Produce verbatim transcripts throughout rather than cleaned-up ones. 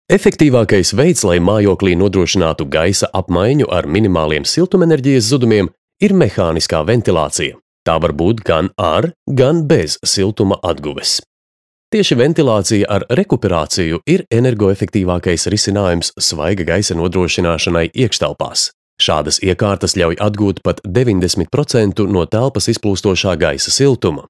Efektīvākais veids, lai mājoklī nodrošinātu gaisa apmaiņu ar minimāliem siltumenerģijas zudumiem, ir mehāniskā ventilācija. Tā var būt gan ar, gan bez siltuma atguves. Tieši ventilācija ar rekuperāciju ir energoefektīvākais risinājums svaiga gaisa nodrošināšanai iekštelpās. Šādas iekārtas ļauj atgūt pat deviņdesmit procenti no telpas izplūstošā gaisa siltuma.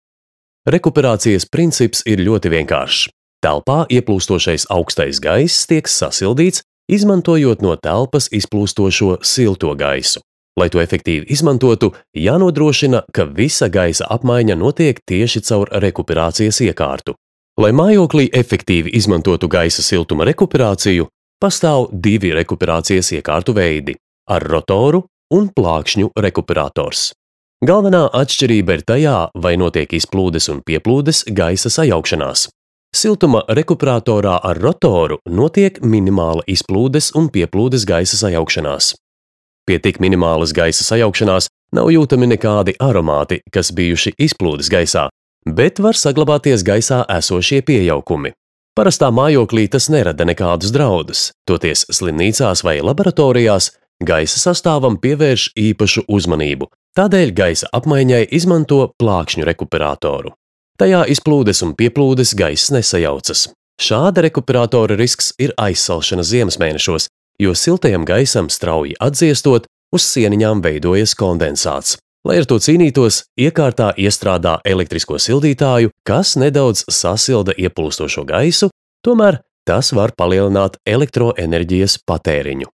Rekuperācijas princips ir ļoti vienkāršs. Telpā ieplūstošais augstais gaiss tiek sasildīts, izmantojot no telpas izplūstošo silto gaisu. Lai to efektīvi izmantotu, jānodrošina, ka visa gaisa apmaiņa notiek tieši caur rekuperācijas iekārtu. Lai mājoklī efektīvi izmantotu gaisa siltuma rekuperāciju, pastāv divi rekuperācijas iekārtu veidi – ar rotoru un plākšņu rekuperators. Galvenā atšķirība ir tajā, vai notiek izplūdes un pieplūdes gaisa sajaukšanās. Siltuma rekuperatorā ar rotoru notiek minimāla izplūdes un pieplūdes gaisa sajaukšanās. Pie tik minimālas gaisa sajaukšanās nav jūtami nekādi aromāti, kas bijuši izplūdes gaisā, bet var saglabāties gaisā esošie piejaukumi. Parastā mājoklī tas nerada nekādus draudus, toties slimnīcās vai laboratorijās gaisa sastāvam pievērš īpašu uzmanību, tādēļ gaisa apmaiņai izmanto plākšņu rekuperatoru. Tajā izplūdes un pieplūdes gaiss nesajaucas. Šāda rekuperatora risks ir aizsalšana ziemas mēnešos, jo siltajam gaisam strauji atdziestot, uz sieniņām veidojas kondensāts. Lai ar to cīnītos, iekārtā iestrādā elektrisko sildītāju, kas nedaudz sasilda ieplūstošo gaisu, tomēr tas var palielināt elektroenerģijas patēriņu.